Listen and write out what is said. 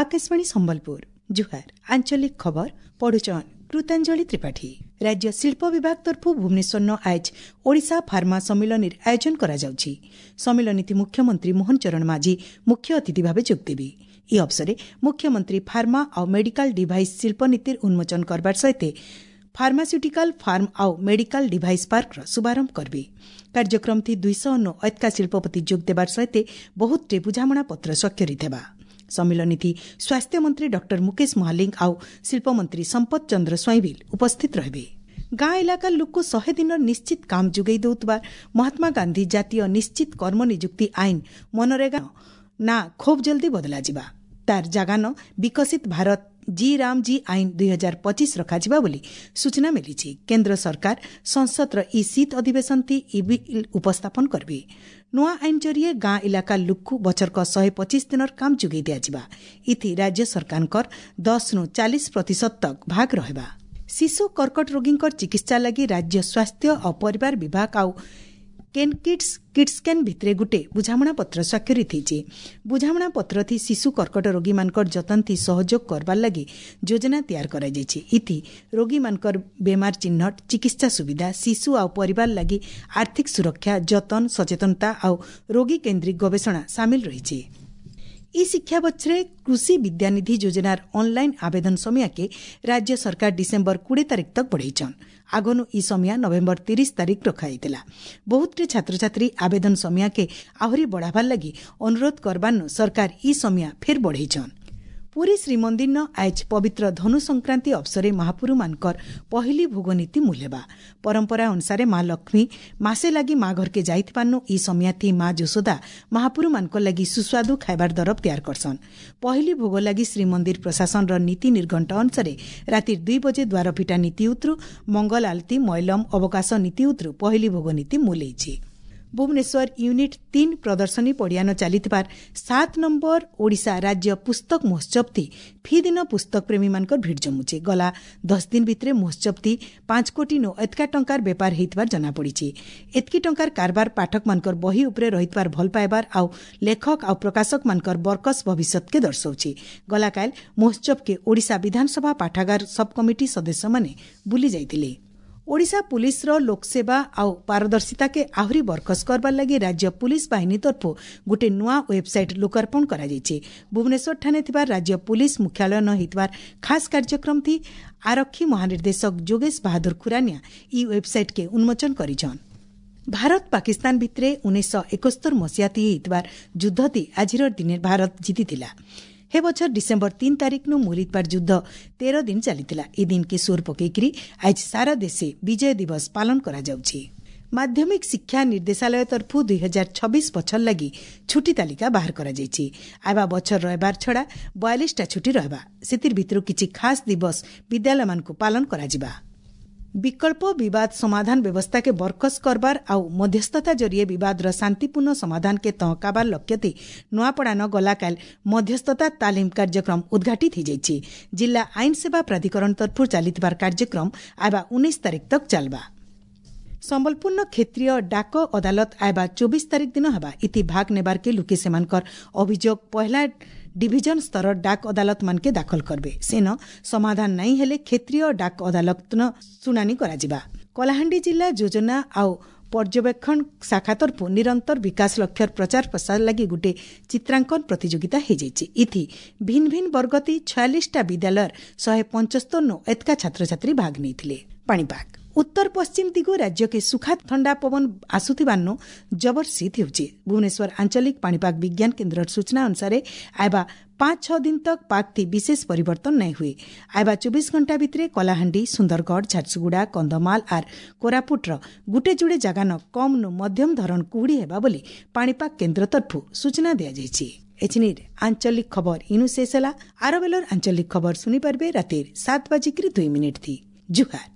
ଆକାଶବାଣୀ ସମ୍ବଲପୁର, ଜୁହାର। ଆଞ୍ଚଳିକ ଖବର ପଢୁଛନ୍ କୃତାଞ୍ଜଳି ତ୍ରିପାଠୀ। ରାଜ୍ୟ ଶିଳ୍ପ ବିଭାଗ ତରଫୁ ଭୁବନେଶ୍ୱରନ ଆଏଜ ଓଡ଼ିଶା ଫାର୍ମା ସମ୍ମିଳନୀର ଆୟୋଜନ କରାଯାଉଛି। ସମ୍ମିଳନୀଥି ମୁଖ୍ୟମନ୍ତ୍ରୀ ମୋହନ ଚରଣ ମାଝୀ ମୁଖ୍ୟ ଅତିଥି ଭାବେ ଯୋଗଦେବେ। ଇ ଅବସରେ ମୁଖ୍ୟମନ୍ତ୍ରୀ ଫାର୍ମା ଆଉ ମେଡିକାଲ ଡିଭାଇସ୍ ଶିଳ୍ପନୀତିର ଉନ୍ମୋଚନ କରବାର ସହିତ ଫାର୍ମାସ୍ୟୁଟିକାଲ ଫାର୍ମ ଆଉ ମେଡିକାଲ ଡିଭାଇସ୍ ପାର୍କର ଶୁଭାରମ୍ଭ କରିବେ। କାର୍ଯ୍ୟକ୍ରମଥି 200 ଏତକା ଶିଳ୍ପପତି ଯୋଗ ଦେବାର ସହିତ ବହୁତଟେ ବୁଝାମଣା ପତ୍ର ସ୍ୱାକ୍ଷରିତ ହେବା। ସମ୍ମିଳନୀଥି ସ୍ୱାସ୍ଥ୍ୟମନ୍ତ୍ରୀ ଡକ୍ଟର ମୁକେଶ ମହାଲିଙ୍ଗ ଆଉ ଶିଳ୍ପମନ୍ତ୍ରୀ ସମ୍ପଦ ଚନ୍ଦ୍ର ସ୍ୱାଇଁ ବି ଉପସ୍ଥିତ ରହିବେ। ଗାଁ ଇଲାକାର ଲୋକକୁ 100 ଦିନର ନିଶ୍ଚିତ କାମ ଯୋଗାଇ ଦେଉଥିବା ମହାତ୍ମା ଗାନ୍ଧୀ ଜାତୀୟ ନିଶ୍ଚିତ କର୍ମ ନିଯୁକ୍ତି ଆଇନ ମନରେଗା ନା ଖୁବ୍ ଜଲ୍ଦି ବଦଳାଯିବା। ତାର ଜାଗାନ ବିକଶିତ ଭାରତ ଜି ରାମ ଜି ଆଇନ 2025 ରଖାଯିବା ବୋଲି ସୂଚନା ମିଳିଛି। କେନ୍ଦ୍ର ସରକାର ସଂସଦର ଇ ଶୀତ ଅଧିବେଶନ ଥି ଇ ବିଲ୍ ଉପସ୍ଥାପନ କରିବେ। ନୂଆ ଆଇନ ଜରିଏ ଗାଁ ଇଲାକା ଲୋକକୁ ବଛରକ 125 ଦିନର କାମ ଯୋଗାଇ ଦିଆଯିବା। ଇଥି ରାଜ୍ୟ ସରକାରଙ୍କର 10ରୁ 40% ତକ ଭାଗ ରହିବା। ଶିଶୁ କର୍କଟ ରୋଗୀଙ୍କର ଚିକିତ୍ସା ଲାଗି ରାଜ୍ୟ ସ୍ୱାସ୍ଥ୍ୟ ଆଉ ପରିବାର ବିଭାଗ ଆଉ କେନ୍କିଟ୍ସ କିଟ୍ସକେନ୍ ଭିତରେ ଗୁଟେ ବୁଝାମଣା ପତ୍ର ସ୍ୱାକ୍ଷରିତ ହେଇଛି। ବୁଝାମଣା ପତ୍ର ଥି ଶିଶୁ କର୍କଟ ରୋଗୀମାନଙ୍କର ଯତନଥି ସହଯୋଗ କରବାର ଲାଗି ଯୋଜନା ତିଆର କରାଯାଇଛି। ଇଥି ରୋଗୀମାନଙ୍କର ବେମାର ଚିହ୍ନଟ, ଚିକିତ୍ସା ସୁବିଧା, ଶିଶୁ ଆଉ ପରିବାର ଲାଗି ଆର୍ଥିକ ସୁରକ୍ଷା, ଯତନ, ସଚେତନତା ଆଉ ରୋଗୀ କେନ୍ଦ୍ରିକ ଗବେଷଣା ସାମିଲ ରହିଛି। ଇ ଶିକ୍ଷାବର୍ଷରେ କୃଷି ବିଦ୍ୟାନିଧି ଯୋଜନାର ଅନଲାଇନ୍ ଆବେଦନ ସମୟକେ ରାଜ୍ୟ ସରକାର ଡିସେମ୍ବର 20 ତାରିଖ ତକ ବଢ଼େଇଛନ୍। ଆଗନୁ ଇ ସମୟ ନଭେମ୍ବର 30 ତାରିଖ ରଖାଯାଇଥିଲା। ବହୁତଟେ ଛାତ୍ରଛାତ୍ରୀ ଆବେଦନ ସମୟକେ ଆହୁରି ବଢ଼ାବାର ଲାଗି ଅନୁରୋଧ କରବାରନୁ ସରକାର ଇ ସମୟ ଫେର୍ ବଢ଼େଇଛନ୍। ପୁରୀ ଶ୍ରୀମନ୍ଦିରନ ଆଏଜ ପବିତ୍ର ଧନୁ ସଂକ୍ରାନ୍ତି ଅବସରେ ମହାପୁରୁମାନଙ୍କର ପହିଲି ଭୋଗ ନୀତି ମୂଲ ହେବା। ପରମ୍ପରା ଅନୁସାରେ ମା ଲକ୍ଷ୍ମୀ ମାସେ ଲାଗି ମା ଘରକେ ଯାଇଥିବାରନୁ ଇ ସମୟାଥି ମା ଯଶୋଦା ମହାପୁରୁମାନଙ୍କର ଲାଗି ସୁସ୍ୱାଦୁ ଖାଇବାର ଦରବ ତିଆର କରସନ୍। ପହିଲି ଭୋଗ ଲାଗି ଶ୍ରୀମନ୍ଦିର ପ୍ରଶାସନର ନୀତି ନିର୍ଘଣ୍ଟ ଅନୁସାରେ ରାତି 2 ବଜେ ଦ୍ୱାର ଫିଟା ନୀତି ଉତରୁ ମଙ୍ଗଳ ଆଳତୀ, ମୈଲମ, ଅବକାଶ ନୀତି ଉତରୁ ପହିଲି ଭୋଗ ନୀତି ମୂଲେଇଛି। ଭୁବନେଶ୍ୱର ୟୁନିଟ୍ 3 ପ୍ରଦର୍ଶନୀ ପଡ଼ିଆନ ଚାଲିଥିବାର 7 ନମ୍ବର ଓଡ଼ିଶା ରାଜ୍ୟ ପୁସ୍ତକ ମହୋତ୍ସବଥି ଫି ଦିନ ପୁସ୍ତକ ପ୍ରେମୀମାନଙ୍କର ଭିଡ଼ ଜମୁଛି। ଗଲା 10 ଦିନ ଭିତରେ ମହୋତ୍ସବଥି 5 କୋଟି ନୁ ଏତକା ଟଙ୍କାର ବେପାର ହେଇଥିବାର ଜଣାପଡ଼ିଛି। ଏତକି ଟଙ୍କାର କାରବାର ପାଠକମାନଙ୍କର ବହି ଉପରେ ରହିଥିବାର ଭଲ ପାଇବାର ଆଉ ଲେଖକ ଆଉ ପ୍ରକାଶକମାନଙ୍କର ବରକସ ଭବିଷ୍ୟତକେ ଦର୍ଶାଉଛି। ଗଲାକାଲ ମହୋତ୍ସବକେ ଓଡ଼ିଶା ବିଧାନସଭା ପାଠାଗାର ସବ୍ କମିଟି ସଦସ୍ୟମାନେ ବୁଲି ଯାଇଥିଲେ। ଓଡ଼ିଶା ପୁଲିସ୍ର ଲୋକସେବା ଆଉ ପାରଦର୍ଶିତାକେ ଆହୁରି ବରକସ କରବାର ଲାଗି ରାଜ୍ୟ ପୁଲିସ୍ ବାହିନୀ ତରଫରୁ ଗୋଟିଏ ନୂଆ ୱେବସାଇଟ୍ ଲୋକାର୍ପଣ କରାଯାଇଛି। ଭୁବନେଶ୍ୱରଠାରେ ଥିବା ରାଜ୍ୟ ପୁଲିସ୍ ମୁଖ୍ୟାଳୟ ନ ହେଇଥିବାର ଖାସ୍ କାର୍ଯ୍ୟକ୍ରମ ଥି ଆରକ୍ଷୀ ମହାନିର୍ଦ୍ଦେଶକ ଯୋଗେଶ ବାହାଦୁର ଖୁରାନିଆ ଇ ୱେବସାଇଟ୍କେ ଉନ୍ମୋଚନ କରିଛନ୍। ଭାରତ ପାକିସ୍ତାନ ଭିତରେ 1971 ମସିହାଥି ହେଇଥିବାର ଯୁଦ୍ଧତି ଆଜିର ଦିନେ ଭାରତ ଜିତିଥିଲା। ହେ ବଛର ଡିସେମ୍ବର 3 ତାରିଖନୁ ମୁଲିତବାର ଯୁଦ୍ଧ 13 ଦିନ ଚାଲିଥିଲା। ଏ ଦିନକେ ସୁର ପକେଇକିରି ଆଜ ସାରା ଦେଶେ ବିଜୟ ଦିବସ ପାଳନ କରାଯାଉଛି। ମାଧ୍ୟମିକ ଶିକ୍ଷା ନିର୍ଦ୍ଦେଶାଳୟ ତରଫୁ 2026 ବଛର ଲାଗି ଛୁଟି ତାଲିକା ବାହାର କରାଯାଇଛି। ଆଇବା ବଛର ରହିବାର ଛଡ଼ା 42ଟା ଛୁଟି ରହିବା। ସେଥିର ଭିତରୁ କିଛି ଖାସ୍ ଦିବସ ବିଦ୍ୟାଳୟମାନଙ୍କୁ ପାଳନ କରାଯିବା। ବିକଳ୍ପ ବିବାଦ ସମାଧାନ ବ୍ୟବସ୍ଥାକେ ବରକସ କରବାର ଆଉ ମଧ୍ୟସ୍ଥତା ଜରିଏ ବିବାଦର ଶାନ୍ତିପୂର୍ଣ୍ଣ ସମାଧାନକେ ତହକାବାର ଲକ୍ଷ୍ୟଥି ନୂଆପଡ଼ାନ ଗଲାକାଲ ମଧ୍ୟସ୍ଥତା ତାଲିମ କାର୍ଯ୍ୟକ୍ରମ ଉଦ୍ଘାଟିତ ହୋଇଯାଇଛି। ଜିଲ୍ଲା ଆଇନ ସେବା ପ୍ରାଧିକରଣ ତରଫରୁ ଚାଲିଥିବାର କାର୍ଯ୍ୟକ୍ରମ ଆଇବା 19 ତାରିଖ ତକ ଚାଲବା। ସମ୍ବଲପୁରନ କ୍ଷେତ୍ରୀୟ ଡାକ ଅଦାଲତ ଆଇବା 24 ତାରିଖ ଦିନ ହେବା। ଇତି ଭାଗ ନେବାରକେ ଲୁକେ ସେମାନଙ୍କର ଅଭିଯୋଗ ପହଲା ଡିଭିଜନ ସ୍ତର ଡାକ ଅଦାଲତ ମାନକେ ଦାଖଲ କରବେ। ସେନ ସମାଧାନ ନାଇଁ ହେଲେ କ୍ଷେତ୍ରୀୟ ଡାକ ଅଦାଲତ ଶୁଣାଣି କରାଯିବା। କଳାହାଣ୍ଡି ଜିଲ୍ଲା ଯୋଜନା ଆଉ ପର୍ଯ୍ୟବେକ୍ଷଣ ଶାଖା ତରଫୁ ନିରନ୍ତର ବିକାଶ ଲକ୍ଷ୍ୟର ପ୍ରଚାର ପ୍ରସାର ଲାଗି ଗୋଟିଏ ଚିତ୍ରାଙ୍କନ ପ୍ରତିଯୋଗିତା ହେଇଯାଇଛି। ଇଥି ଭିନ୍ନ ଭିନ୍ନ ବର୍ଗତି 46ଟା ବିଦ୍ୟାଳୟର 175 ଏତକା ଛାତ୍ରଛାତ୍ରୀ ଭାଗ ନେଇଥିଲେ। ପାଣିପାଗ ଉତ୍ତର ପଶ୍ଚିମ ଦିଗୁ ରାଜ୍ୟକେ ସୁଖା ଥଣ୍ଡା ପବନ ଆସୁଥିବାରୁ ଜବର ଶୀତ ହେଉଛି। ଭୁବନେଶ୍ୱର ଆଞ୍ଚଳିକ ପାଣିପାଗ ବିଜ୍ଞାନ କେନ୍ଦ୍ରର ସୂଚନା ଅନୁସାରେ ଆଇବା 5-6 ଦିନ ତକ ପାଗଥି ବିଶେଷ ପରିବର୍ତ୍ତନ ନାଇଁ ହୁଏ। ଆଇବା 24 ଘଣ୍ଟା ଭିତରେ କଳାହାଣ୍ଡି, ସୁନ୍ଦରଗଡ଼, ଝାରସୁଗୁଡ଼ା, କନ୍ଧମାଳ ଆର୍ କୋରାପୁଟର ଗୁଟେ ଯୁଡ଼େ ଜାଗାନ କମ୍ ନୁ ମଧ୍ୟମ ଧରଣ କୁହୁଡ଼ି ହେବା ବୋଲି ପାଣିପାଗ କେନ୍ଦ୍ର ତରଫରୁ ସୂଚନା ଦିଆଯାଇଛି। ଏଛିନିର ଆଞ୍ଚଳିକ ଖବର ଇନୁ ଶେଷ ହେଲା। ଆର ବେଲର ଆଞ୍ଚଳିକ ଖବର ଶୁଣିପାରିବେ ରାତିର 7:02 ଥି। ଜୁହାର।